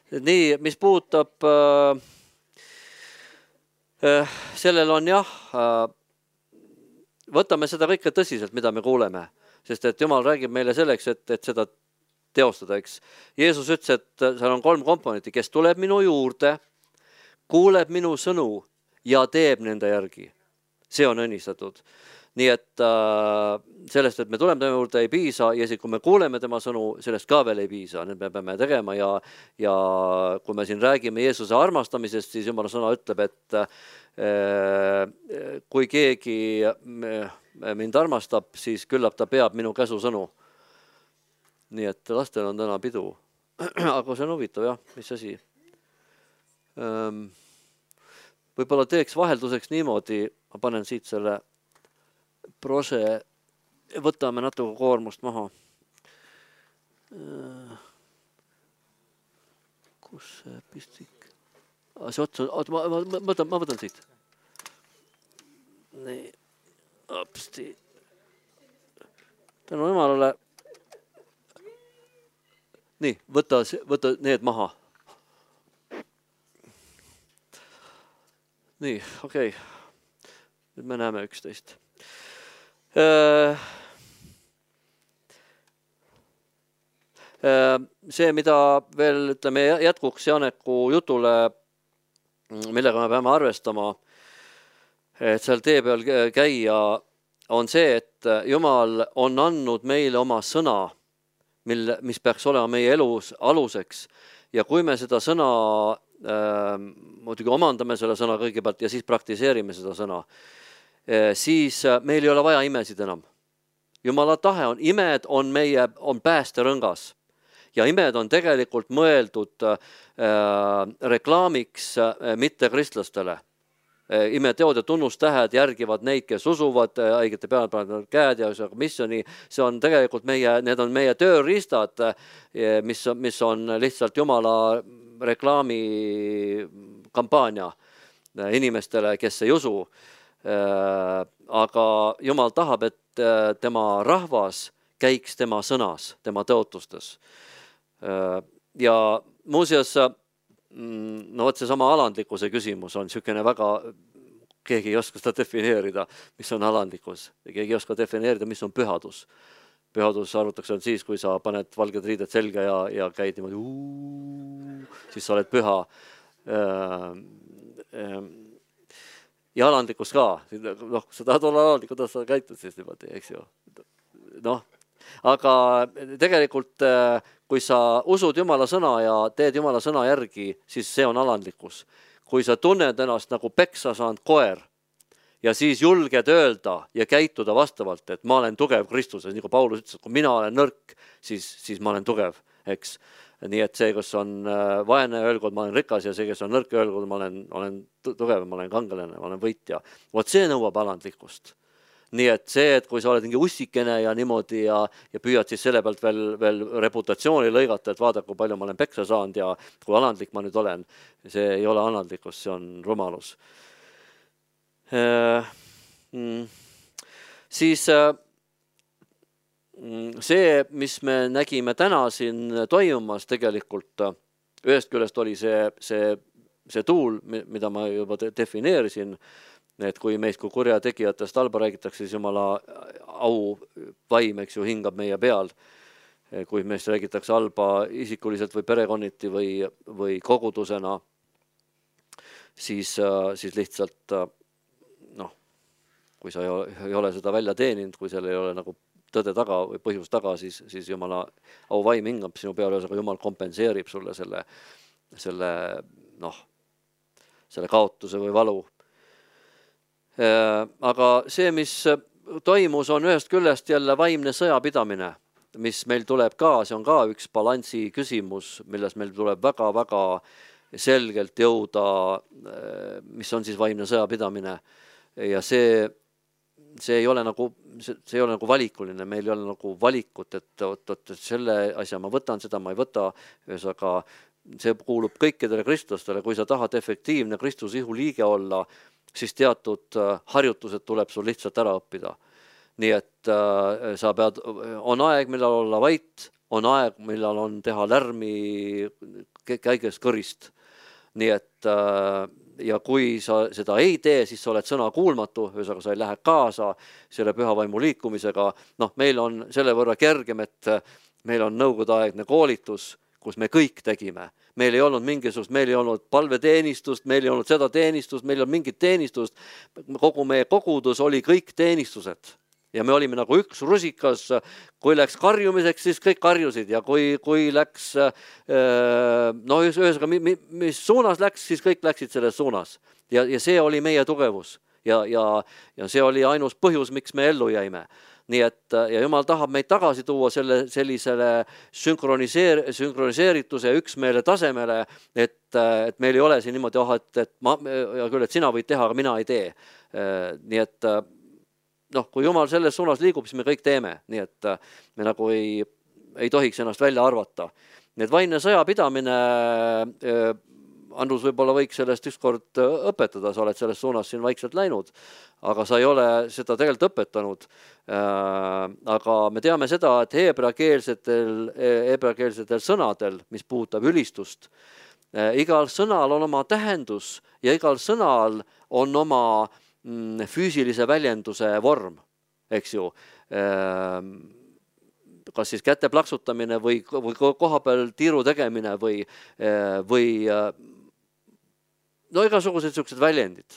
Nii, mis puudutab, sellel on jah, võtame seda kõike tõsiselt, mida me kuuleme, sest et Jumal räägib meile selleks, et seda teostada, eks. Jeesus ütles, et seal on 3 komponenti, kes tuleb minu juurde, kuuleb minu sõnu ja teeb nende järgi. See on õnnistatud. Nii et sellest, et me tuleme tema juurde, ei piisa ja kui me kuuleme tema sõnu, sellest ka veel ei piisa. Nüüd me peame tegema ja kui me siin räägime Jeesuse armastamisest, siis Jumala sõna ütleb, et kui keegi mind armastab, siis küllap ta peab minu käsusõnu. Nii et lastel on täna pidu. Aga see on huvitav, jah, mis asi. Võib-olla teeks vahelduseks niimoodi, ma panen siit selle prose, võtame natuke koormust maha. Kus see pistik? See ots, ma võtan siit. Nii, apsti. Tänu Jumalale. Nii, võta need maha. Nii, okei. Nüüd me näeme 11. See, mida veel ütleme jätkuks Janeku jutule, millega me peame arvestama, et seal tee peal käia, on see, et Jumal on andnud meile oma sõna, mis peaks olema meie elus aluseks. Ja kui me seda sõna, muidugi omandame selle sõna kõigepealt ja siis praktiseerime seda sõna, siis meil ei ole vaja imesid enam. Jumala tahe on, imed on päästerõngas ja imed on tegelikult mõeldud reklaamiks mitte kristlastele. Imeteod ja tunnustähed järgivad neid, kes usuvad, õigete peale panevad käed ja missiooni. See on tegelikult need on meie tööriistad, mis on lihtsalt Jumala reklaami kampaania inimestele, kes ei usu. Aga Jumal tahab, et tema rahvas käiks tema sõnas, tema tõotustes. Ja muuseas, see sama alandlikkuse küsimus on niisugune väga, keegi ei oska seda defineerida, mis on alandlikkus. Keegi ei oska defineerida, mis on pühadus. Pühadus arvutakse on siis, kui sa paned valged riided selga ja käid niimoodi, siis sa oled püha. Ja alandlikkus ka. Sa tahad olla alandlik, kuidas sa käitud siis niimoodi, eks ju. Aga tegelikult, kui sa usud Jumala sõna ja teed Jumala sõna järgi, siis see on alandlikkus. Kui sa tunned ennast nagu peksa saanud koer ja siis julged öelda ja käituda vastavalt, et ma olen tugev Kristuses, nagu Paulus ütles, et kui mina olen nõrk, siis ma olen tugev, eks. Nii et see, kes on vaene, öelgud, ma olen rikas ja see, kes on nõrk, öelgud, ma olen tugev, ma olen kangelane, ma olen võitja. Vot see nõuab alandlikkust. Nii et see, et kui sa oled mingi ussikene ja niimoodi ja püüad siis selle pealt veel reputatsiooni lõigata, et vaada, kui palju ma olen peksa saanud ja kui alandlik ma nüüd olen, see ei ole alandlikkus, see on rumalus. Siis see, mis me nägime täna siin toimumas tegelikult, ühest küljest oli see tuul, mida ma juba defineerisin, et kui meist kui kurjategijatest halba räägitakse, siis Jumala au vaim, eks ju, hingab meie peal. Kui meist räägitakse halba isikuliselt või perekonniti või kogudusena, siis lihtsalt, kui sa ei ole seda välja teeninud, kui seal ei ole nagu tõde taga või põhjus taga, siis Jumala au vaim hingab sinu peale, aga Jumal kompenseerib sulle selle kaotuse või valu. Aga see, mis toimus, on ühest küljest jälle vaimne sõjapidamine, mis meil tuleb ka, see on ka üks balansi küsimus, milles meil tuleb väga-väga selgelt jõuda, mis on siis vaimne sõjapidamine. Ja see ei ole nagu valikuline, meil ei ole nagu valikut, et selle asja ma võtan, seda ma ei võta, aga see kuulub kõikidele kristlastele, kui sa tahad efektiivne Kristuse ihu liige olla, siis teatud harjutused tuleb sul lihtsalt ära õppida. Nii et on aeg, millal olla vait, on aeg, millal on teha lärmi käigest kõrist. Nii et ja kui sa seda ei tee, siis sa oled sõna kuulmatu, ühesõnaga sa ei lähe kaasa selle püha vaimu liikumisega. Meil on selle võrra kergem, et meil on nõukogudeaegne koolitus, kus me kõik tegime. Meil ei olnud mingisugust, meil ei olnud palveteenistust, meil ei olnud seda teenistust, meil ei olnud mingit teenistust. Kogu meie kogudus oli kõik teenistused. Ja me olime nagu üks rusikas, kui läks karjumiseks, siis kõik karjusid ja kui läks, ühesõnaga, mis suunas läks, siis kõik läksid selles suunas. Ja see oli meie tugevus ja see oli ainus põhjus, miks me ellu jäime. Nii et ja Jumal tahab meid tagasi tuua sellisele sünkroniseerituse ja üksmeele tasemele, et meil ei ole siin niimoodi, et sina võid teha, aga mina ei tee. Nii et kui Jumal selles suunas liigub, siis me kõik teeme, nii et me nagu ei tohiks ennast välja arvata. Nii et vaimne sõjapidamine, Andrus võib-olla võiks sellest ükskord õpetada, sa oled selles suunas siin vaikselt läinud, aga sa ei ole seda tegelikult õpetanud. Aga me teame seda, et heebreakeelsetel sõnadel, mis puudutab ülistust, igal sõnal on oma tähendus ja igal sõnal on oma füüsilise väljenduse vorm, eks ju, kas siis käte plaksutamine või koha peal tiiru tegemine või igasugused sellised väljendid,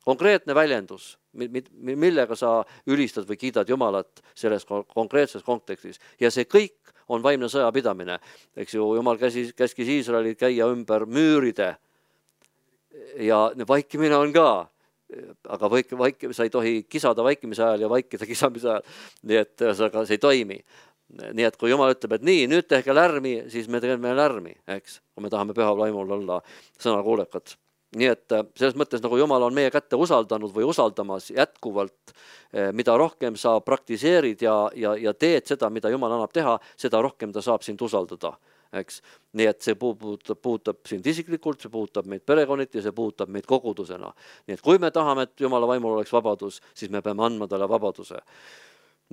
konkreetne väljendus, millega sa ülistad või kiidad Jumalat selles konkreetses kontekstis ja see kõik on vaimne sõjapidamine, eks ju, Jumal käskis Iisraelil käia ümber müüride ja vaikimine on ka. Aga sa ei tohi kisada vaikimise ajal ja vaikida kisamise ajal, nii et see ei toimi. Nii et kui Jumal ütleb, et nii, nüüd tehke lärmi, siis me teeme lärmi, eks, kui me tahame püha vaimul olla sõnakuulekad. Nii et selles mõttes, nagu Jumal on meie kätte usaldanud või usaldamas jätkuvalt, mida rohkem sa praktiseerid ja teed seda, mida Jumal annab teha, seda rohkem ta saab sind usaldada. Eks? Nii et see puudutab sind isiklikult, see puudutab meid perekonniti ja see puudutab meid kogudusena. Nii et kui me tahame, et Jumala vaimul oleks vabadus, siis me peame andma talle vabaduse.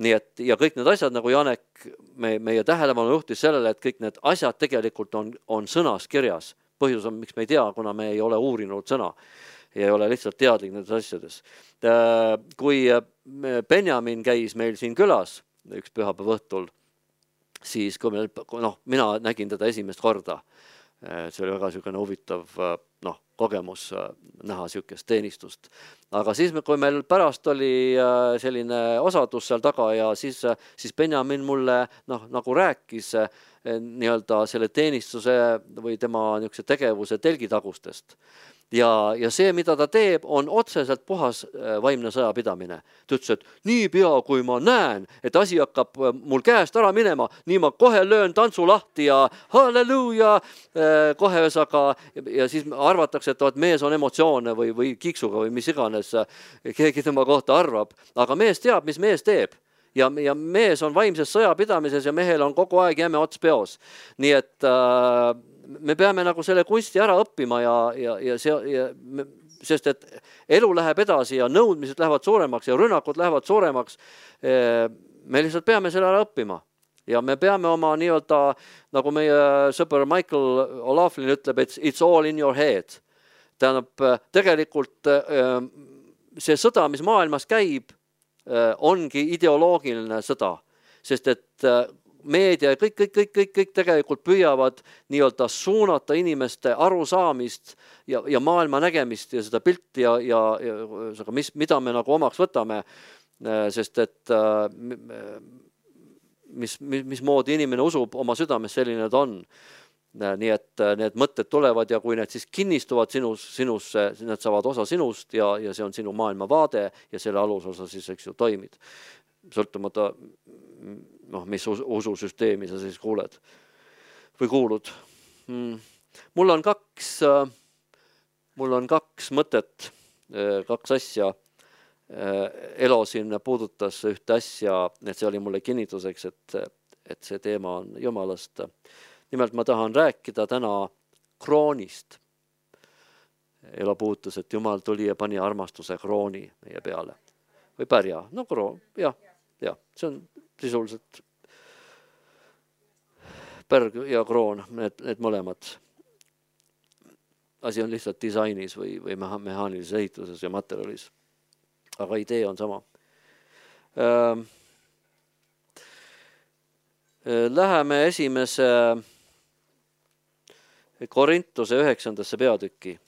Nii et ja kõik need asjad, nagu Janek meie tähelepanu juhtis sellele, et kõik need asjad tegelikult on sõnas kirjas. Põhjus on, miks me ei tea, kuna me ei ole uurinud sõna ja ei ole lihtsalt teadlik nendes asjades. Kui Benjamin käis meil siin külas üks pühapäeva õhtul, siis kui mina nägin teda esimest korda, see oli väga selline huvitav kogemus näha sellisest teenistust. Aga siis, kui meil pärast oli selline osadus seal taga ja siis Benjamin mulle nagu rääkis nii-öelda selle teenistuse või tema niisuguse tegevuse telgitagustest. Ja see, mida ta teeb, on otseselt puhas vaimne sõjapidamine. Ta ütles, et nii pea, kui ma näen, et asi hakkab mul käest ära minema, nii ma kohe löön tantsu lahti ja halleluuja, kohe ühesaga, ja siis arvatakse, et mees on emotsioone või kiksuga või mis iganes keegi tema kohta arvab. Aga mees teab, mis mees teeb. Ja mees on vaimses sõjapidamises ja mehel on kogu aeg jäme ots peos. Nii et me peame nagu selle kunsti ära õppima sest et elu läheb edasi ja nõudmised lähevad suuremaks ja rünnakud lähevad suuremaks. Me lihtsalt peame selle ära õppima ja me peame oma nii-öelda, nagu meie sõber Michael O'Laughlin ütleb, it's all in your head. Tähendab, tegelikult see sõda, mis maailmas käib, ongi ideoloogiline sõda, sest et meedia ja kõik tegelikult püüavad nii-öelda suunata inimeste arusaamist ja maailma nägemist ja seda pilti ja mida me nagu omaks võtame, sest et mismoodi inimene usub oma südames, selline ta on. Nii et need mõtted tulevad ja kui need siis kinnistuvad sinusse, need saavad osa sinust ja see on sinu maailmavaade ja selle alusosa siis, eks ju, toimid. Sõltumata, mis ususüsteemi sa siis kuuled või kuulud. Mul on kaks mõtet, kaks asja. Elo siin puudutas ühte asja, et see oli mulle kinnituseks, et see teema on Jumalast. Nimelt ma tahan rääkida täna kroonist. Elo puudutas, et Jumal tuli ja pani armastuse krooni meie peale. Või pärja, kroon, jah, see on sisuliselt pärg ja kroon, need mõlemad. asi on lihtsalt disainis või mehaanilises ehituses ja materjalis. Aga idee on sama. Läheme esimese Korintuse 9. peatükki.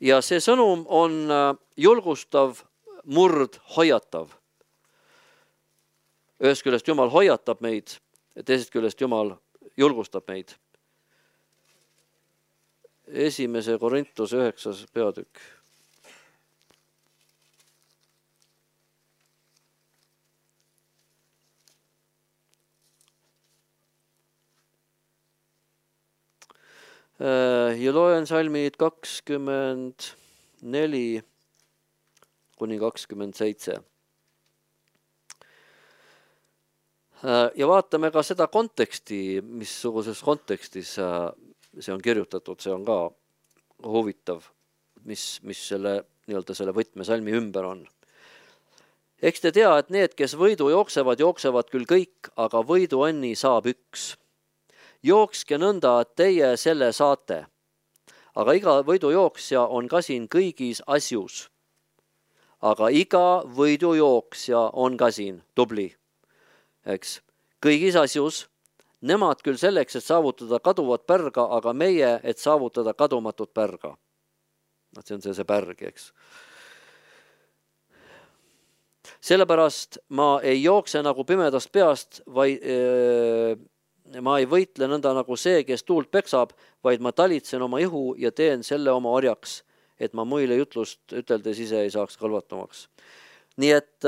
Ja see sõnum on julgustav, hoiatav. Ühest küljest Jumal hoiatab meid, teisest küljest Jumal julgustab meid. Esimese Korintuse 9. peatükk. Ja loen salmid 24 kuni 27. Ja vaatame ka seda konteksti, missuguses kontekstis see on kirjutatud, see on ka huvitav, mis selle, selle võtmesalmi ümber on. Eks te tea, et need, kes võidu jooksevad küll kõik, aga võiduõnni saab üks. Jookske nõnda, et teie selle saate, aga iga võidujooksja on ka siin kõigis asjus. Aga iga võidujooksja on ka siin tubli, eks, kõigis asjus, nemad küll selleks, et saavutada kaduvat pärga, aga meie, et saavutada kadumatut pärga. See on see pärg, eks. Sellepärast ma ei jookse nagu pimedast peast, ma ei võitle nõnda nagu see, kes tuult peksab, vaid ma talitsen oma ihu ja teen selle oma orjaks, et ma muile jutlust üteldes ise ei saaks kalvatumaks. Nii et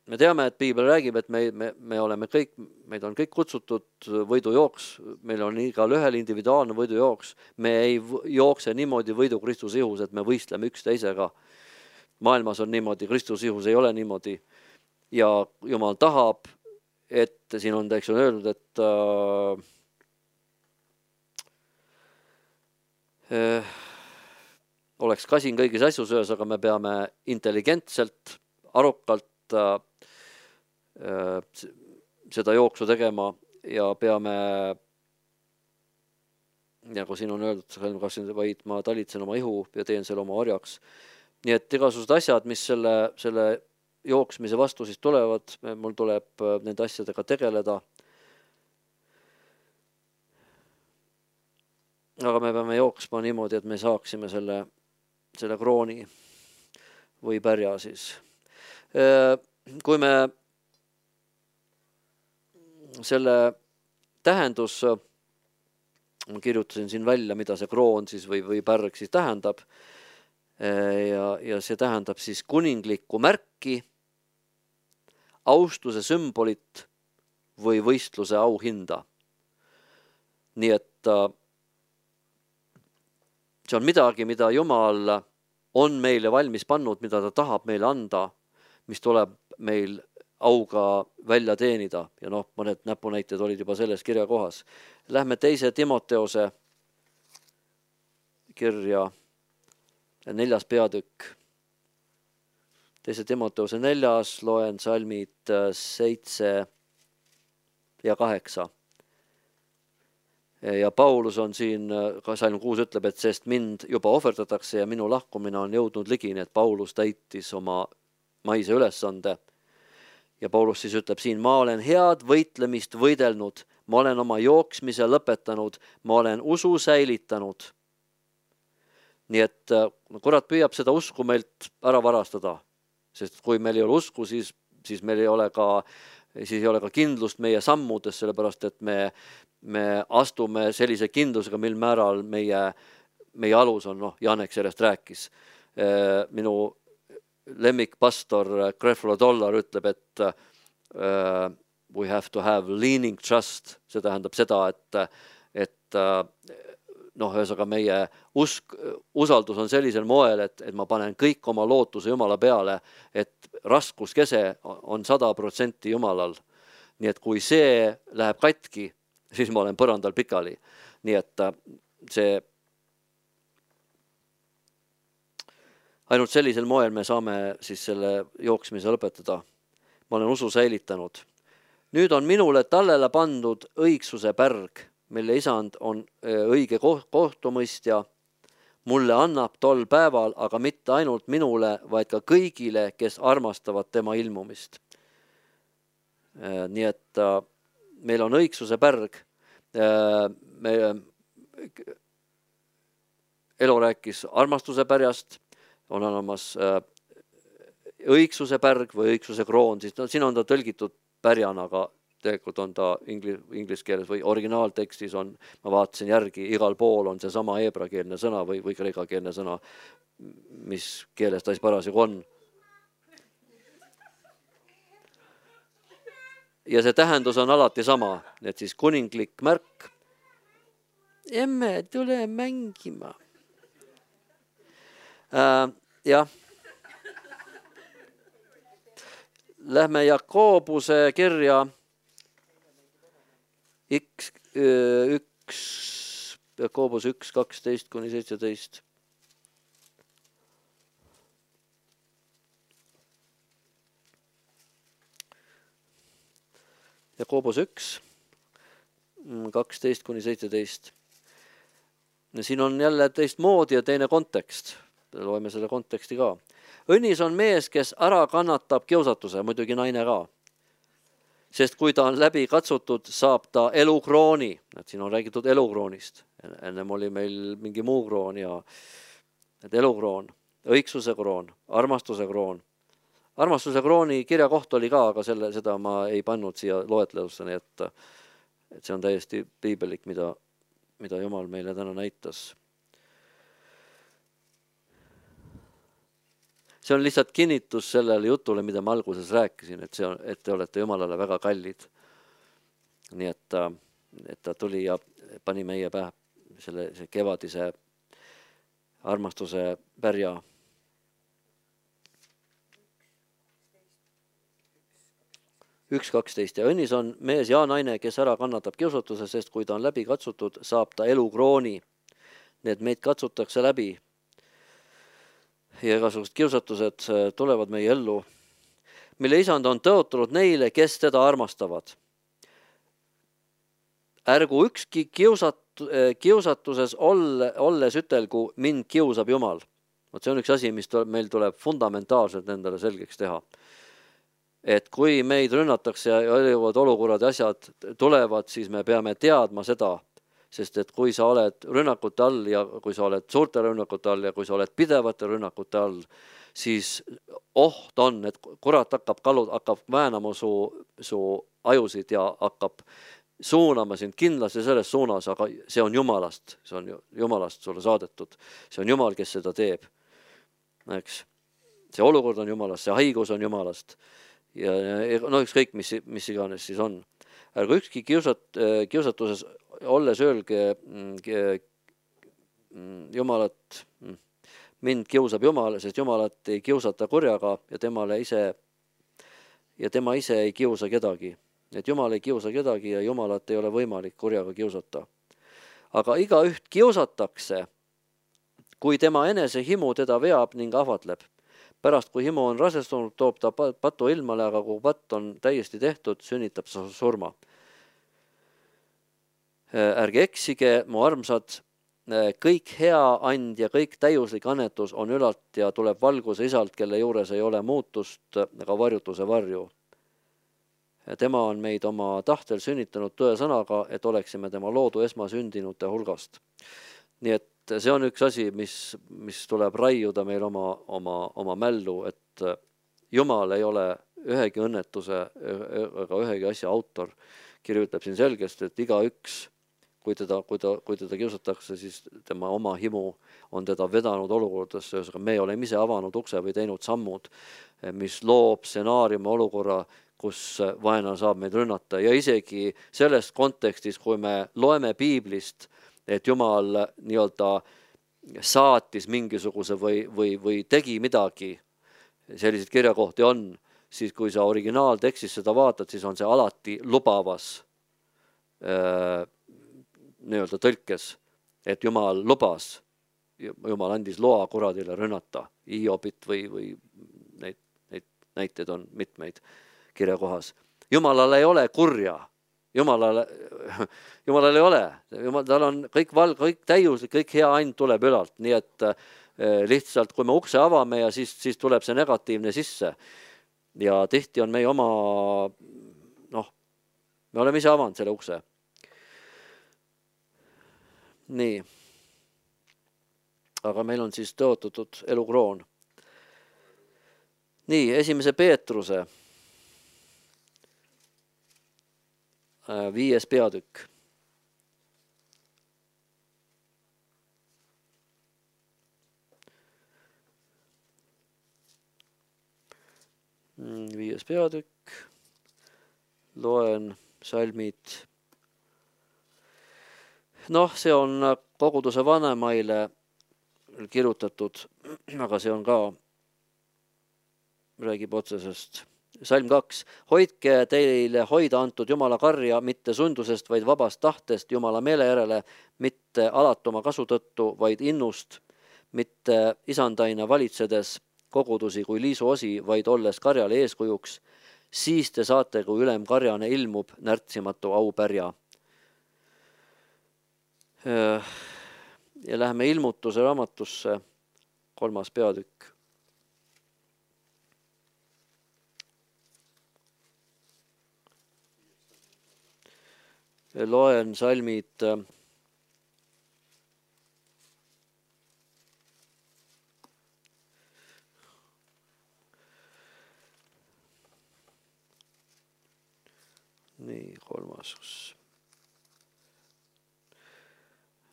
me teame, et Piibel räägib, et me oleme kõik, meid on kõik kutsutud võidujooks, meil on igal ühel individuaalne võidujooks, me ei jookse niimoodi võidu Kristuse ihus, et me võistleme üksteisega. Maailmas on niimoodi, Kristuse ihus ei ole niimoodi ja Jumal tahab, et siin on öeldud, et oleks kasin kõigis asjus öös, aga me peame intelligentselt, arukalt seda jooksu tegema ja peame, nagu siin on öeldud, vaid ma talitsen oma ihu ja teen selle oma orjaks. Nii et igasugused asjad, mis selle jooksmise vastu siis tulevad, mul tuleb nende asjadega tegeleda. Aga me peame jooksma niimoodi, et me saaksime selle krooni või pärja siis. Kui me selle tähendus, ma kirjutasin siin välja, mida see kroon siis või pärg siis tähendab, ja see tähendab siis kuninglikku märki, austuse sümbolit või võistluse auhinda. Nii et see on midagi, mida Jumal on meile valmis pannud, mida ta tahab meile anda, mis tuleb meil auga välja teenida. Ja mõned näpunäited olid juba selles kirja kohas. Lähme 2. Timoteose kirja 4. peatükk. 2. Timoteose 4. loen salmid 7 ja 8. Ja Paulus on siin, salm 6 ütleb, et sest mind juba ohverdatakse ja minu lahkumine on jõudnud ligini, et Paulus täitis oma maise ülesande. Ja Paulus siis ütleb siin, ma olen head võitlemist võidelnud, ma olen oma jooksmise lõpetanud, ma olen usu säilitanud. Nii et kurat püüab seda usku meilt ära varastada, sest kui meil ei ole usku, siis meil ei ole ka kindlust meie sammudes, sellepärast et me astume sellise kindlusega, mil määral meie alus on, Janek sellest rääkis. Minu lemmikpastor Creflo Dollar ütleb, et we have to have leaning trust, see tähendab seda, et ühesõnaga meie usaldus on sellisel moel, et ma panen kõik oma lootuse Jumala peale, et raskuskese on 100% Jumalal. Nii et kui see läheb katki, siis ma olen põrandal pikali. Nii et see ainult sellisel moel me saame siis selle jooksmise lõpetada. Ma olen usu säilitanud. Nüüd on minule tallele pandud õigsuse pärg, mille isand on õige kohtumõistja, mulle annab tol päeval, aga mitte ainult minule, vaid ka kõigile, kes armastavad tema ilmumist. Nii et meil on õigsuse pärg. Elo rääkis armastuse pärjast, on olemas õigsuse pärg või õigsuse kroon, siis siin on ta tõlgitud pärjana, aga tegelikult on ta inglise keeles või originaaltekstis on, ma vaatasin järgi, igal pool on see sama heebrakeelne sõna või kreekakeelne sõna, mis keeles ta siis parasjagu on. Ja see tähendus on alati sama, et siis kuninglik märk. Emme, tule mängima. Jah. Lähme Jakobuse kirja Jakobus 1, 12-17. Jakobus 1, 12-17. Siin on jälle teistmoodi ja teine kontekst. Loeme selle konteksti ka. Õnnis on mees, kes ära kannatab kiusatuse, muidugi naine ka. Sest kui ta on läbi katsutud, saab ta elukrooni. Siin on räägitud elukroonist. Ennem oli meil mingi muu kroon ja elukroon, õigsuse kroon, armastuse kroon. Armastuse krooni kirja koht oli ka, aga seda ma ei pannud siia loetlelusse, nii et see on täiesti piibelik, mida Jumal meile täna näitas. See on lihtsalt kinnitus sellele jutule, mida ma alguses rääkisin, et te olete Jumalale väga kallid. Nii et ta tuli ja pani meie pähe see kevadise armastuse pärja. 1.12. Ja õnnis on mees ja naine, kes ära kannatab kiusatuse, sest kui ta on läbi katsutud, saab ta elukrooni. Need meid katsutakse läbi. Ja igasugused kiusatused tulevad meie ellu, mille isand on tõotanud neile, kes teda armastavad. Ärgu ükski kiusatuses olles ütelgu, mind kiusab Jumal. See on üks asi, mis meil tuleb fundamentaalselt endale selgeks teha. Et kui meid rünnatakse ja erinevad olukorrad ja asjad tulevad, siis me peame teadma seda, sest et kui sa oled rünnakute all ja kui sa oled suurte rünnakute all ja kui sa oled pidevate rünnakute all, siis oht on, et kurat hakkab väänama su ajusid ja hakkab suunama sind kindlasti selles suunas, aga see on Jumalast sulle saadetud. See on Jumal, kes seda teeb. Eks? See olukord on Jumalast, see haigus on Jumalast. Ja ükskõik, mis iganes siis on. Ärgu ükski kiusatuses olles öelge Jumalat, mind kiusab Jumal, sest Jumalat ei kiusata kurjaga ja tema ise ei kiusa kedagi. Et Jumal ei kiusa kedagi ja Jumalat ei ole võimalik kurjaga kiusata. Aga igaüht kiusatakse, kui tema enese himu teda veab ning ahvatleb. Pärast, kui himu on rasestunud, toob ta patu ilmale, aga kui patt on täiesti tehtud, sünnitab sa surma. Ärge eksige, mu armsad, kõik hea and ja kõik täiuslik annetus on ülalt ja tuleb valguse isalt, kelle juures ei ole muutust ega varjutuse varju. Tema on meid oma tahtel sünnitanud tõe sõnaga, et oleksime tema loodu esmasündinute hulgast. Nii et see on üks asi, mis tuleb raiuda meil oma mällu, et Jumal ei ole ühegi õnnetuse ega ühegi asja autor. Kirjutab siin selgesti, et igaüks, kui teda kiusatakse, siis tema oma himu on teda vedanud olukordadesse, aga me oleme ise avanud ukse või teinud sammud, mis loob stsenaariumi olukorra, kus vaenlane saab meid rünnata ja isegi selles kontekstis, kui me loeme piiblist, et Jumal nii-öelda saatis mingisuguse või tegi midagi, selliseid kirjakohti on, siis kui sa originaaltekstis seda vaatad, siis on see alati lubavas nii-öelda tõlkes, et Jumal lubas, Jumal andis loa kuradile rünnata, Hiobit või neid näiteid on mitmeid kirjakohas. Jumalal ei ole kurja. Jumalal ei ole, tal on kõik kõik täiuslik, kõik hea and tuleb ülalt, nii et lihtsalt kui me ukse avame ja siis tuleb see negatiivne sisse ja tihti on meie oma, me oleme ise avanud selle ukse. Nii, aga meil on siis tõotatud elukroon. Nii, 1. Peetruse 5. peatükk. Viies peatükk, loen salmid. See on koguduse vanemaile kirjutatud, aga see on ka, räägib otsesest. Salm 2. Hoidke teile hoida antud Jumala karja mitte sundusest, vaid vabast tahtest Jumala meele järele, mitte alatuma kasu tõttu, vaid innust, mitte isandaina valitsedes kogudusi kui liisuosi, vaid olles karjale eeskujuks, siis te saate, kui ülem karjane ilmub, närtsimatu aupärja. Ja läheme ilmutuse raamatusse, 3. peatükk. Loen salmid 3.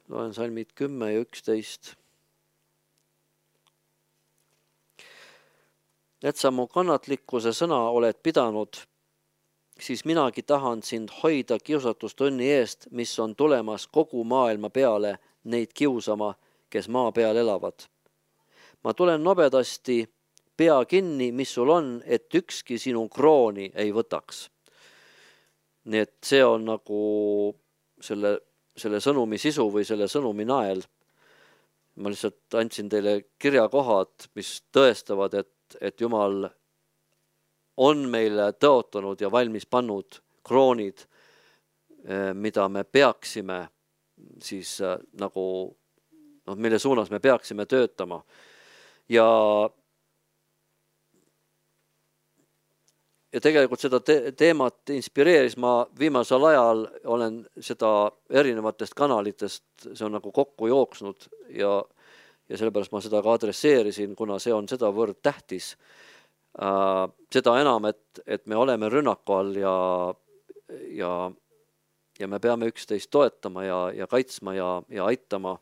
Loen salmid 10 ja 11. Et sa mu kannatlikkuse sõna oled pidanud, siis minagi tahan sind hoida kiusatustõnni eest, mis on tulemas kogu maailma peale neid kiusama, kes maa peal elavad. Ma tulen nobedasti, pea kinni, mis sul on, et ükski sinu krooni ei võtaks. Nii et see on nagu selle sõnumi sisu või selle sõnumi nael. Ma lihtsalt andsin teile kirjakohad, mis tõestavad, et Jumal on meile tõotanud ja valmis pannud kroonid, mida me peaksime siis nagu, mille suunas me peaksime töötama. Ja tegelikult seda teemat inspireeris, ma viimasel ajal olen seda erinevatest kanalitest, see on nagu kokku jooksnud ja sellepärast ma seda ka adresseerisin, kuna see on sedavõrd tähtis. Seda enam, et me oleme rünnaku all ja me peame üksteist toetama ja kaitsma ja aitama,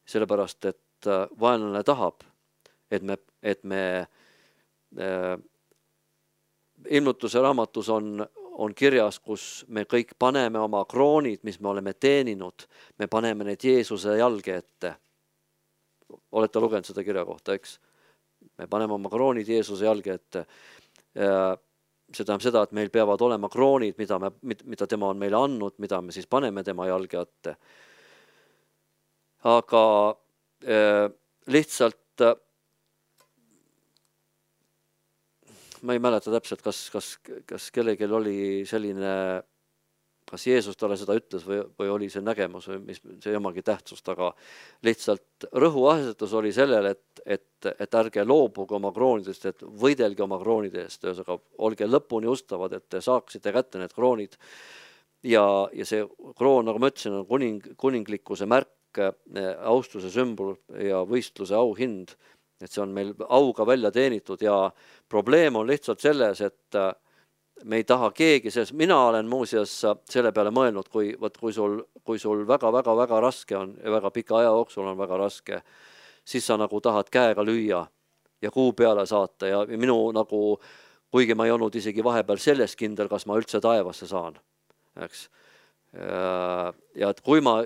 sellepärast, et vaenlane tahab, et me ilmutuse raamatus on kirjas, kus me kõik paneme oma kroonid, mis me oleme teeninud, me paneme need Jeesuse jalge ette. Olete lugenud seda kirja kohta, eks? Me paneme oma kroonid Jeesuse jalge ette. See tähendab seda, et meil peavad olema kroonid, mida tema on meile andnud, mida me siis paneme tema jalge ette. Aga lihtsalt ma ei mäleta täpselt, kas kellelgi oli selline, kas Jeesus talle seda ütles või oli see nägemus või mis see omagi tähtsust, aga lihtsalt rõhuasetus oli sellel, et ärge loobuge oma kroonidest, et võidelge oma kroonide eest, olge lõpuni ustavad, et te saaksite kätte need kroonid. Ja see kroon, nagu ma ütlesin, on kuninglikkuse märk, austuse sümbol ja võistluse auhind. Et see on meil auga välja teenitud ja probleem on lihtsalt selles, et me ei taha keegi selles. Mina olen muuseas selle peale mõelnud, kui sul väga raske on ja väga pika aja jooksul on väga raske, siis sa nagu tahad käega lüüa ja kuu peale saata ja minu nagu, kuigi ma ei olnud isegi vahepeal sellest kindel, kas ma üldse taevasse saan. Eks? Ja et kui ma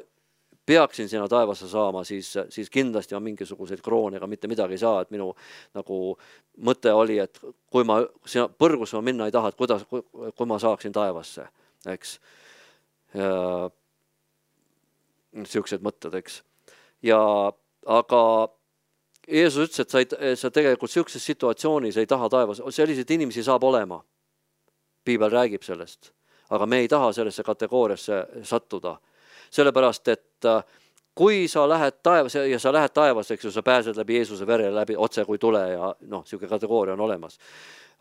peaksin sinna taevasse saama, siis kindlasti on mingisuguseid kroone, ega mitte midagi ei saa, et minu nagu mõte oli, et kui ma põrgus ma minna ei taha, et kui ma saaksin taevasse, eks. Siuksed mõtted, eks. Aga Jeesus ütles, et sa tegelikult siukses situatsioonis ei taha taevasse, selliseid inimesi saab olema. Piibel räägib sellest. aga me ei taha sellesse kategooriasse sattuda. Sellepärast, et kui sa lähed taevas ja sa lähed taevas, eks ju, sa pääsed läbi Jeesuse vere läbi otse kui tule ja noh, siuke kategooria on olemas.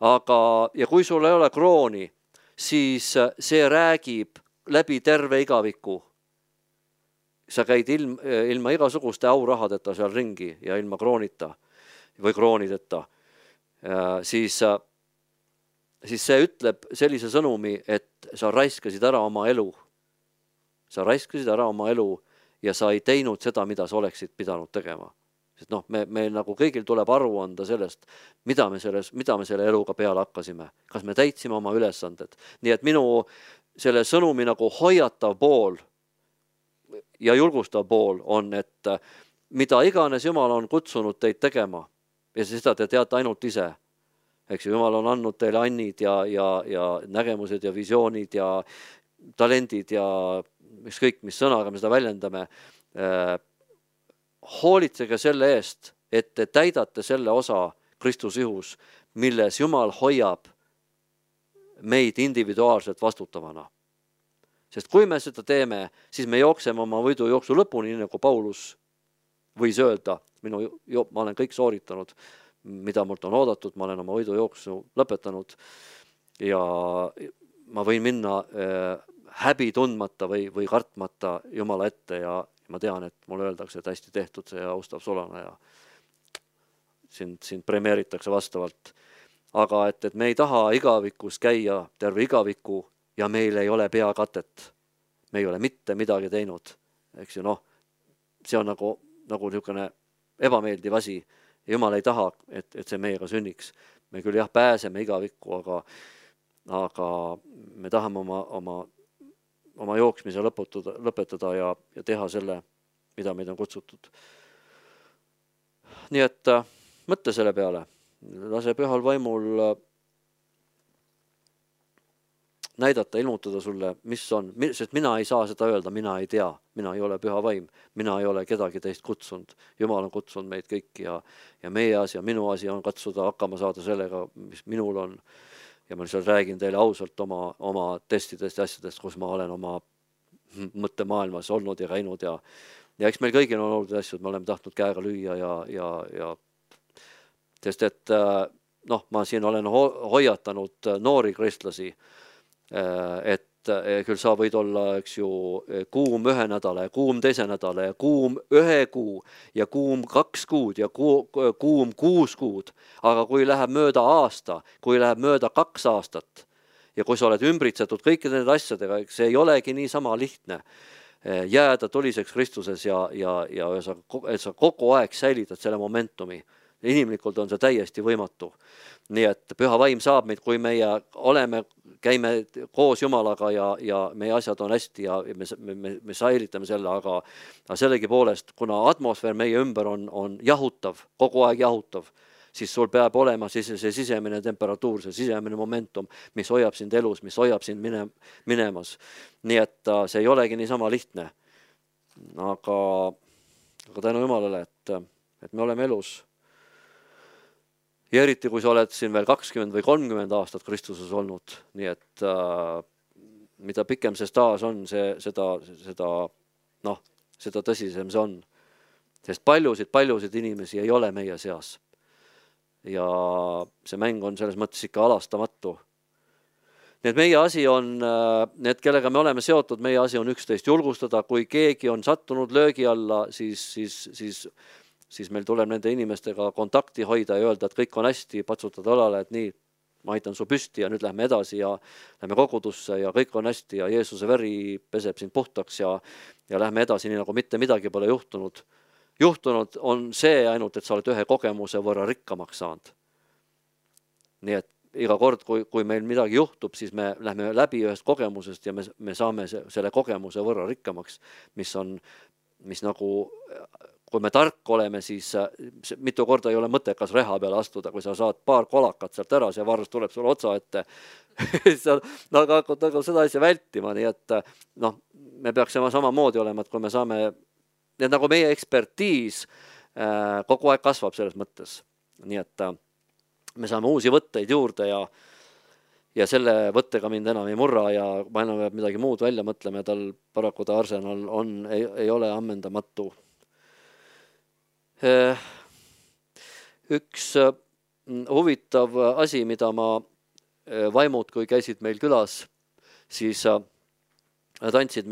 Aga, ja kui sul ei ole krooni, siis see räägib läbi terve igaviku. Sa käid ilma igasuguste aurahadeta seal ringi ja ilma kroonita või kroonideta, siis see ütleb sellise sõnumi, et sa raiskasid ära oma elu. Sa raiskasid ära oma elu ja sa ei teinud seda, mida sa oleksid pidanud tegema. Sest noh, me nagu kõigil tuleb aru anda sellest, mida me selle eluga peale hakkasime. Kas me täitsime oma ülesanded. Nii et minu selle sõnumi nagu hoiatav pool ja julgustav pool on, et mida iganes Jumal on kutsunud teid tegema ja seda te teate ainult ise. Eks ju, Jumal on andnud teile annid ja nägemused ja visioonid ja talendid ja ükskõik mis sõnaga me seda väljendame. Hoolitsege selle eest, et te täidate selle osa Kristus ihus, milles Jumal hoiab meid individuaalselt vastutavana. Sest kui me seda teeme, siis me jookseme oma võidujooksu lõpuni, nii nagu Paulus võis öelda, ma olen kõik sooritanud, mida mult on oodatud, ma olen oma võidujooksu lõpetanud ja ma võin minna häbi tundmata või kartmata Jumala ette ja ma tean, et mulle öeldakse, et hästi tehtud see austav Solana ja sind premeeritakse vastavalt. Aga et me ei taha igavikus käia terve igaviku ja meil ei ole peakatet. Me ei ole mitte midagi teinud. Eks ju, noh, see on nagu niisugune ebameeldiv asi. Jumal ei taha, et see meiega sünniks. Me küll jah pääseme igavikku, aga me tahame oma jooksmise lõpetada ja teha selle, mida meid on kutsutud. Nii et mõtle selle peale. Lase pühal vaimul näidata, ilmutada sulle, mis on, sest mina ei saa seda öelda, mina ei tea, mina ei ole püha vaim, mina ei ole kedagi teist kutsunud. Jumal on kutsunud meid kõiki ja meie asi ja minu asi on katsuda hakkama saada sellega, mis minul on. Ja ma lihtsalt räägin teile ausalt oma testidest ja asjadest, kus ma olen oma mõttemaailmas olnud ja käinud ja eks meil kõigil on olnud asjad, me oleme tahtnud käega lüüa ja sest et noh, ma siin olen hoiatanud noori kristlasi, et küll sa võid olla, eks ju, kuum 1 nädala ja kuum 2 nädala ja kuum 1 kuu ja kuum 2 kuud ja kuum 6 kuud. Aga kui läheb mööda aasta, kui läheb mööda 2 aastat ja kui sa oled ümbritsetud kõikide nende asjadega, see ei olegi nii sama lihtne jääda tuliseks Kristuses ja sa kogu aeg säilitad selle momentumi. Inimlikult on see täiesti võimatu. Nii et püha vaim saab meid, kui meie käime koos Jumalaga ja meie asjad on hästi ja me säilitame selle, aga sellegi poolest, kuna atmosfäär meie ümber on jahutav, kogu aeg jahutav, siis sul peab olema see sisemine temperatuur, see sisemine momentum, mis hoiab sind elus, mis hoiab sind minemas. Nii et see ei olegi niisama lihtne. Aga tänu Jumalale, et me oleme elus. Ja eriti, kui sa oled siin veel 20 või 30 aastat Kristuses olnud, nii et mida pikem see staas on, seda tõsisem see on. Sest paljusid inimesi ei ole meie seas. Ja see mäng on selles mõttes ikka alastamatu. Nii et meie asi on, need kellega me oleme seotud, meie asi on üksteist julgustada, kui keegi on sattunud löögi alla, siis meil tuleb nende inimestega kontakti hoida ja öelda, et kõik on hästi, patsutada õlale, et nii, ma aitan su püsti ja nüüd lähme edasi ja lähme kogudusse ja kõik on hästi ja Jeesuse veri peseb sind puhtaks ja lähme edasi, nii nagu mitte midagi pole juhtunud. Juhtunud on see ainult, et sa oled ühe kogemuse võrra rikkamaks saanud. Nii et iga kord, kui meil midagi juhtub, siis me lähme läbi ühest kogemusest ja me saame selle kogemuse võrra rikkamaks, mis nagu, kui me tark oleme, siis mitu korda ei ole mõttekas reha peale astuda, kui sa saad paar kolakat sealt ära, see varus tuleb sulle otsa ette. Aga hakkad seda asja vältima, nii et me peaksime samamoodi olema, et kui me saame, nii nagu meie ekspertiis kogu aeg kasvab selles mõttes, nii et me saame uusi võtteid juurde ja selle võttega mind enam ei murra ja ma enam peab midagi muud välja mõtlema ja tal paraku ta arsenal ei ole ammendamatu. Üks huvitav asi, mida ma vaimud, kui käisid meil külas, siis nad andsid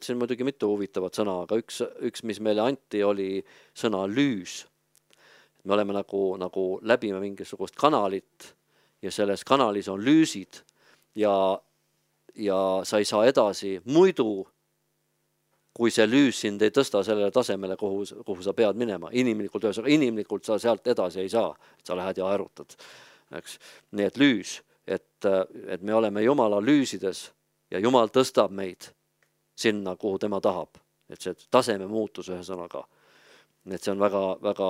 siin muidugi mitu huvitavat sõna, aga üks, mis meile anti, oli sõna lüüs. Me oleme nagu läbime mingisugust kanalit ja selles kanalis on lüüsid ja sa ei saa edasi muidu, kui see lüüs sind ei tõsta sellele tasemele, kuhu sa pead minema. Inimlikult sa sealt edasi ei saa, et sa lähed ja aerutad. Eks? Nii et lüüs, et me oleme Jumala lüüsides ja Jumal tõstab meid sinna, kuhu tema tahab. Et see taseme muutus ühe sõnaga. Et see on väga, väga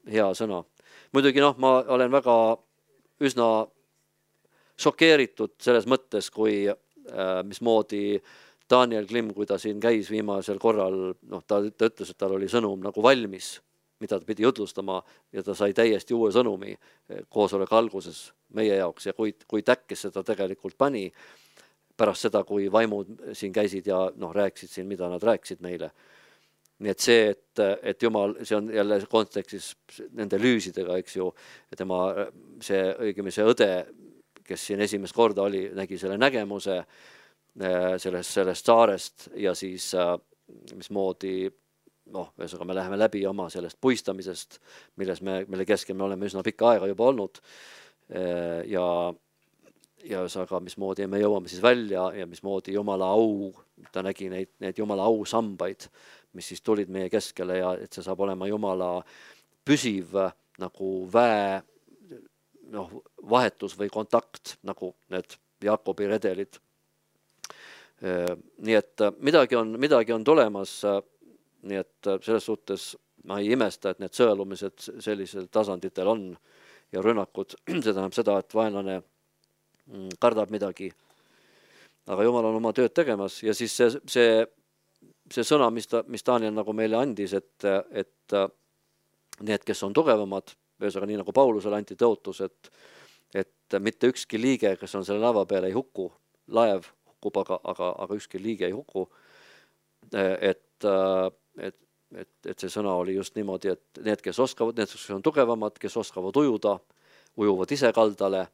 hea sõna. Muidugi ma olen väga üsna šokeeritud selles mõttes, kui mismoodi Daniel Klim, kui ta siin käis viimasel korral, ta ütles, et tal oli sõnum nagu valmis, mida ta pidi jutlustama ja ta sai täiesti uue sõnumi koosoleku alguses meie jaoks ja kui täkkes seda tegelikult pani pärast seda, kui vaimud siin käisid ja rääkisid siin, mida nad rääkisid meile. Nii et see, et Jumal, see on jälle kontekstis nende lüüsidega, eks ju, see õde, kes siin esimest korda oli, nägi selle nägemuse sellest saarest ja siis mismoodi, ühesõnaga me läheme läbi oma sellest puistamisest, mille keskel me oleme üsna pikka aega juba olnud ja ühesõnaga mismoodi me jõuame siis välja ja mismoodi Jumala au, ta nägi neid Jumala au sambaid, mis siis tulid meie keskele ja et see saab olema Jumala püsiv nagu vahetus või kontakt, nagu need Jaakobi redelid. Nii et midagi on tulemas, nii et selles suhtes ma ei imesta, et need sõelumised sellisel tasanditel on ja rünnakud, see tähendab seda, et vaenlane kardab midagi, aga Jumal on oma tööd tegemas ja siis see sõna, mis Daniel nagu meile andis, et need, kes on tugevamad, ühesõnaga nii nagu Paulusele anti tõotus, et mitte ükski liige, kes on selle laeva peal, ei hukku, laev hukkub, aga ükski liige ei hukku, et see sõna oli just niimoodi, et need, kes oskavad, need, kes on tugevamad, kes oskavad ujuda, ujuvad ise kaldale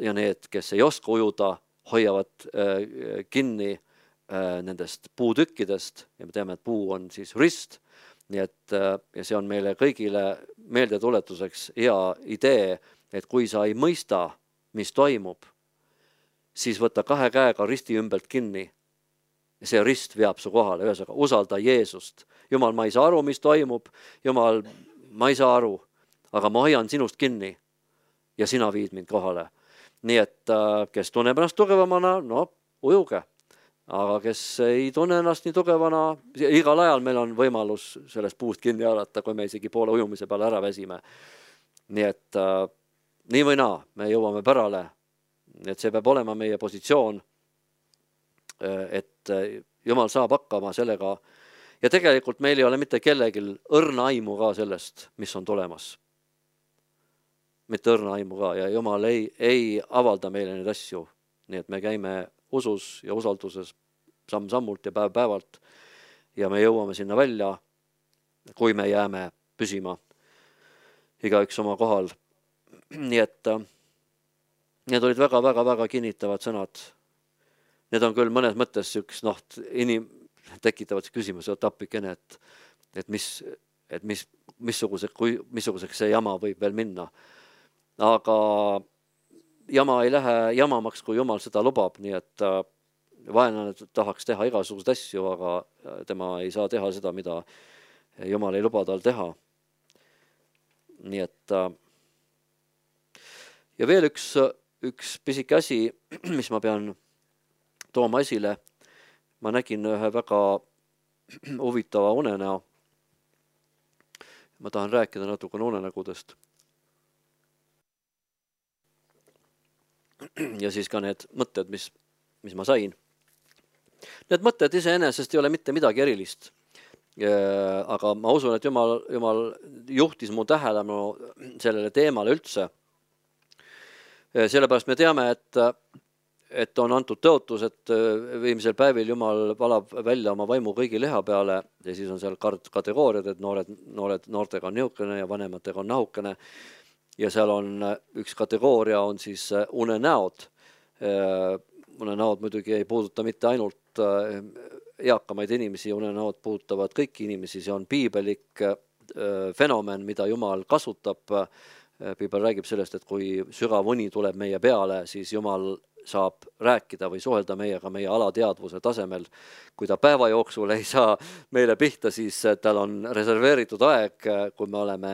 ja need, kes ei oska ujuda, hoiavad kinni nendest puutükkidest ja me teame, et puu on siis rist, nii et ja see on meile kõigile meeldetuletuseks hea idee, et kui sa ei mõista, mis toimub, siis võta 2 käega risti ümbelt kinni. See rist veab su kohale, ühesõnaga usalda Jeesust. Jumal, ma ei saa aru, mis toimub. Jumal, ma ei saa aru, aga ma hoian sinust kinni ja sina viid mind kohale. Nii et kes tunneb ennast tugevamana, ujuge. Aga kes ei tunne ennast nii tugevana, igal ajal meil on võimalus sellest puust kinni haarata, kui me isegi poole ujumise peale ära väsime. Nii et nii või naa, me jõuame pärale. Et see peab olema meie positsioon, et Jumal saab hakkama sellega ja tegelikult meil ei ole mitte kellegil õrna aimu ka sellest, mis on tulemas. Mitte õrna aimu ka ja Jumal ei avalda meile neid asju, nii et me käime usus ja usalduses samm-sammult ja päev-päevalt ja me jõuame sinna välja, kui me jääme püsima igaüks oma kohal. Nii et need olid väga-väga-väga kinnitavad sõnad. Need on küll mõnes mõttes üks, tekitavad küsimuse tapikene, et missuguseks see jama võib veel minna. Aga jama ei lähe jamamaks, kui Jumal seda lubab, nii et vaenlane tahaks teha igasuguseid asju, aga tema ei saa teha seda, mida Jumal ei luba tal teha. Nii et ja veel üks pisike asi, mis ma pean tooma esile. Ma nägin ühe väga huvitava unenäo. Ma tahan rääkida natukene unenägudest. Ja siis ka need mõtted, mis ma sain. Need mõtted iseenesest ei ole mitte midagi erilist. Aga ma usun, et Jumal juhtis mu tähelepanu sellele teemale üldse. Sellepärast me teame, et on antud tõotus, et viimsel päevil Jumal valab välja oma vaimu kõigi liha peale ja siis on seal kategooriad, et noortega on niukene ja vanematega on nahukene. Ja seal on üks kategooria on siis unenäod. Unenäod muidugi ei puuduta mitte ainult eakamaid inimesi, unenäod puudutavad kõiki inimesi, see on piibelik fenomen, mida Jumal kasutab. Piibel räägib sellest, et kui sügav uni tuleb meie peale, siis Jumal saab rääkida või suhelda meiega meie alateadvuse tasemel. Kui ta päeva jooksul ei saa meile pihta, siis tal on reserveeritud aeg, kui me oleme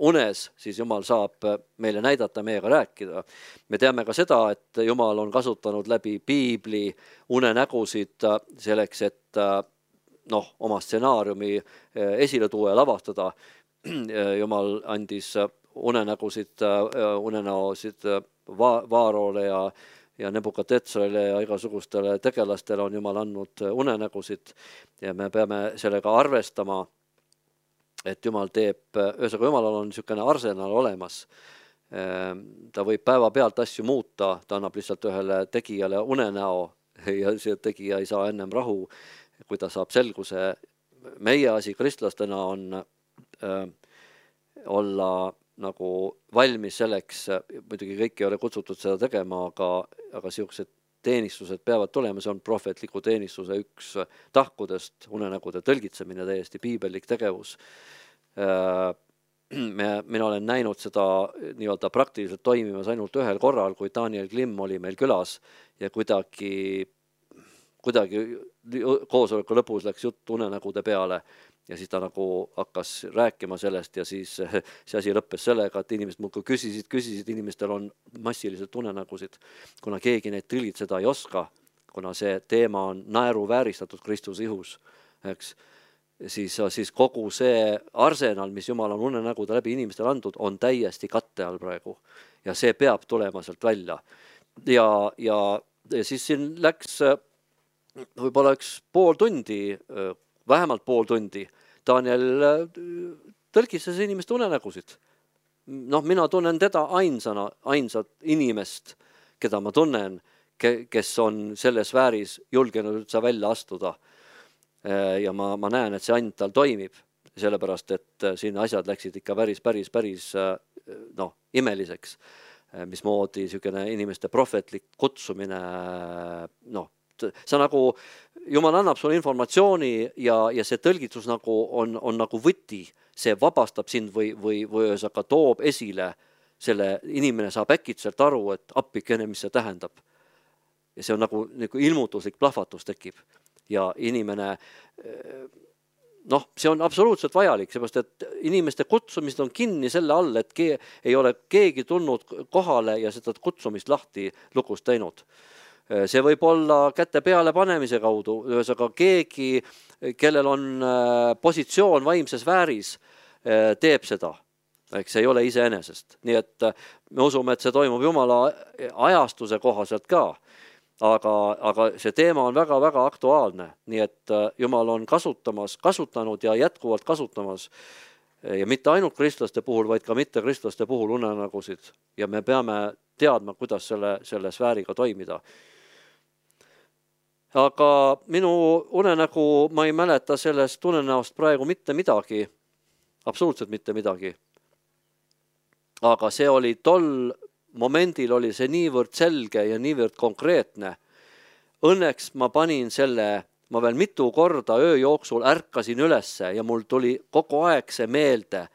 unes, siis Jumal saab meile näidata, meiega rääkida. Me teame ka seda, et Jumal on kasutanud läbi piibli unenägusid selleks, et oma stsenaariumi esile tuua ja lavastada. Jumal andis unenäosid Vaarole ja Nebukadnetsarile ja igasugustele tegelastele on Jumal andnud unenägusid ja me peame sellega arvestama, et Jumal teeb, Jumalal on niisugune arsenal olemas. Ta võib päeva pealt asju muuta, ta annab lihtsalt ühele tegijale unenäo ja see tegija ei saa ennem rahu, kui ta saab selguse. Meie asi kristlastena on olla nagu valmis selleks, muidugi kõik ei ole kutsutud seda tegema, aga siuksed teenistused peavad tulema, see on prohvetliku teenistuse üks tahkudest, unenägude tõlgitsemine, täiesti piibelik tegevus. Mina olen näinud seda nii-öelda praktiliselt toimimas ainult ühel korral, kui Daniel Klimm oli meil külas ja kuidagi koosoleku lõpus läks jutt unenägude peale ja siis ta nagu hakkas rääkima sellest ja siis see asi lõppes sellega, et inimesed muudkui küsisid, inimestel on massiliselt unenägusid, kuna keegi neid tõlgitseda ei oska, kuna see teema on naeruvääristatud Kristuse ihus, eks, siis kogu see arsenal, mis Jumal on unenägude läbi inimestele andnud, on täiesti katte all praegu ja see peab tulema sealt välja. Ja siis siin läks võib-olla pool tundi, vähemalt pool tundi, Daniel tõlkis inimeste unenägusid. Mina tunnen teda ainsat inimest, keda ma tunnen, kes on selles sfääris julgenud üldse välja astuda. Ja ma näen, et see ainult tal toimib, sellepärast, et siin asjad läksid ikka päris imeliseks, mismoodi niisugune inimeste prohvetlik kutsumine, see nagu, Jumal annab sulle informatsiooni ja see tõlgitus nagu on nagu võti, see vabastab sind või ühesõnaga toob esile selle, inimene saab äkitselt aru, et appikene, mis see tähendab. Ja see on nagu ilmutuslik plahvatus tekib ja inimene, see on absoluutselt vajalik, seepärast, et inimeste kutsumist on kinni selle all, et ei ole keegi tulnud kohale ja seda kutsumist lahti lukust teinud. See võib olla käte peale panemise kaudu, ühesõnaga keegi, kellel on positsioon vaimses vääris, teeb seda. Eks see ei ole iseenesest. Nii et me usume, et see toimub Jumala ajastuse kohaselt ka, aga see teema on väga-väga aktuaalne. Nii et Jumal on kasutanud ja jätkuvalt kasutamas ja mitte ainult kristlaste puhul, vaid ka mitte kristlaste puhul unenägusid ja me peame teadma, kuidas selle sfääriga toimida. Aga minu unenägu, ma ei mäleta sellest unenäost praegu mitte midagi, absoluutselt mitte midagi. Aga see oli tol momendil oli see niivõrd selge ja niivõrd konkreetne. Õnneks ma panin ma veel mitu korda öö jooksul ärkasin ülesse ja mul tuli kogu aeg see meelde,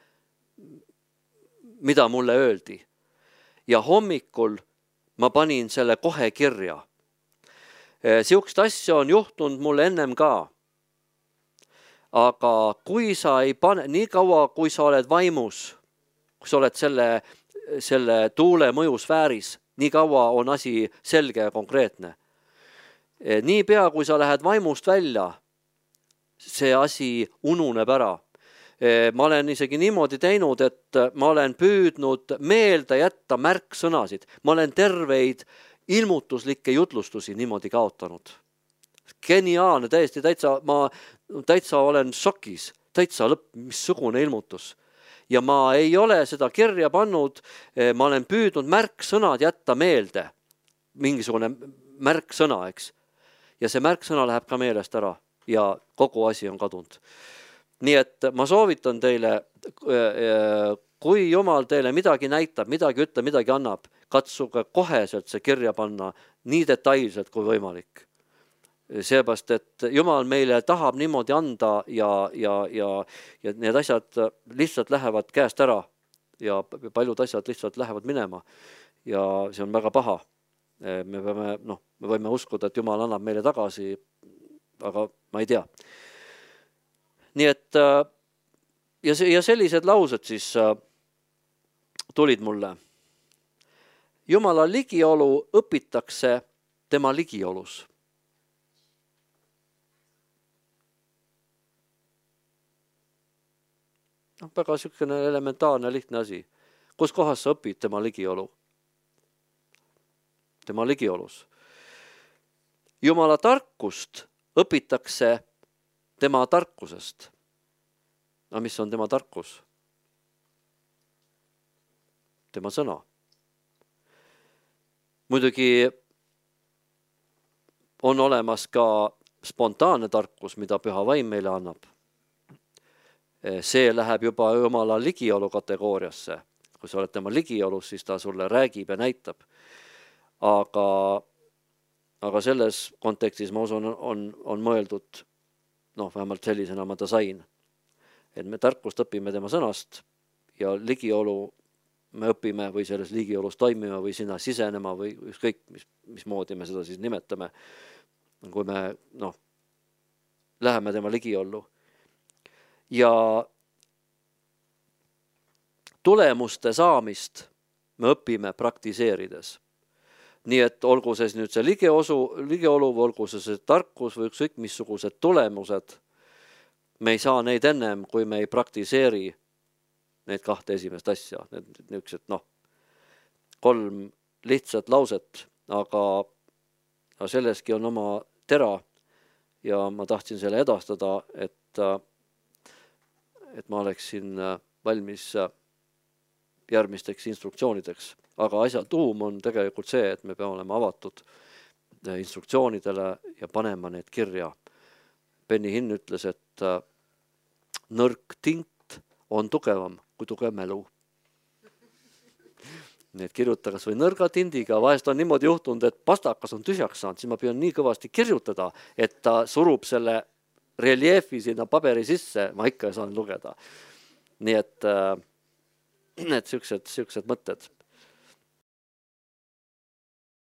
mida mulle öeldi. Ja hommikul ma panin selle kohe kirja. Siukest asja on juhtunud mulle ennem ka. Aga kui sa ei pane, nii kaua kui sa oled vaimus, kui sa oled selle tuule mõjusfääris, nii kaua on asi selge ja konkreetne. Nii pea, kui sa lähed vaimust välja, see asi ununeb ära. Ma olen isegi niimoodi teinud, et ma olen püüdnud meelde jätta märksõnasid. Ma olen terveid ilmutuslikke jutlustusi niimoodi kaotanud. Geniaalne, täitsa olen šokis, täitsa missugune ilmutus. ja ma ei ole seda kirja pannud, ma olen püüdnud märksõnad jätta meelde, mingisugune märksõna, eks. Ja see märksõna läheb ka meelest ära ja kogu asi on kadunud. Nii et ma soovitan teile, kui Jumal teile midagi näitab, midagi ütleb, midagi annab, katsuge koheselt see kirja panna nii detailselt kui võimalik. Seepärast, et Jumal meile tahab niimoodi anda ja need asjad lihtsalt lähevad käest ära ja paljud asjad lihtsalt lähevad minema ja see on väga paha. Me võime uskuda, et Jumal annab meile tagasi, aga ma ei tea. Nii et ja sellised laused siis tulid mulle. Jumala ligiolu õpitakse tema ligiolus. Väga sükene elementaarne lihtne asi. Kus kohas sa õpid tema ligiolu? Tema ligiolus. Jumala tarkust õpitakse tema tarkusest. Aga mis on tema tarkus? Tema sõna. Muidugi on olemas ka spontaanne tarkus, mida Püha Vaim meile annab. See läheb juba Jumala ligiolu kategooriasse. Kui sa oled tema ligiolus, siis ta sulle räägib ja näitab. Aga selles kontekstis ma usun on mõeldud, vähemalt sellisena ma ta sain, et me tarkust õpime tema sõnast ja ligiolu me õpime või selles ligiolus toimime või sinna sisenema või ükskõik, mismoodi me seda siis nimetame, kui me läheme tema ligiollu. Ja tulemuste saamist me õpime praktiseerides. Nii et olgu see nüüd see ligiolu, olgu see tarkus või ükskõik missugused tulemused, me ei saa neid ennem, kui me ei praktiseeri need kahte esimest asja. Niisugused 3 lihtsat lauset, aga selleski on oma tera ja ma tahtsin selle edastada, et ma oleksin valmis järgmisteks instruktsioonideks. Aga asja tuum on tegelikult see, et me peame olema avatud instruktsioonidele ja panema need kirja. Benny Hinn ütles, et nõrk tint on tugevam kui tugev mälu. Nii et kirjuta kas või nõrga tindiga, vahest on niimoodi juhtunud, et pastakas on tühjaks saanud, siis ma püüan nii kõvasti kirjutada, et ta surub selle reljeefi sinna paberi sisse, ma ikka saan lugeda. Nii et sellised mõtted.